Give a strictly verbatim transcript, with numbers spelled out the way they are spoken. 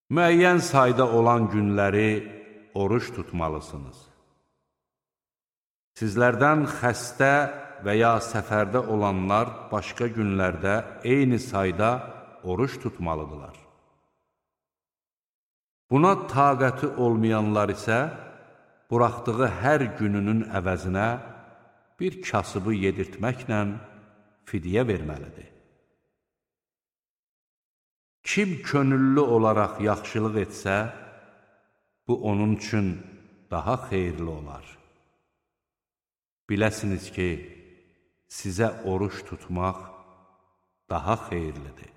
Müəyyən sayda olan günləri oruç tutmalısınız. Sizlərdən xəstə və ya səfərdə olanlar başqa günlərdə eyni sayda oruç tutmalıdırlar. Buna taqəti olmayanlar isə buraxdığı hər gününün əvəzinə bir kasıbı yedirtməklə fidyə verməlidir. Kim könüllü olaraq yaxşılıq etsə, bu onun üçün daha xeyirli olar. Biləsiniz ki, sizə oruç tutmaq daha xeyirlidir.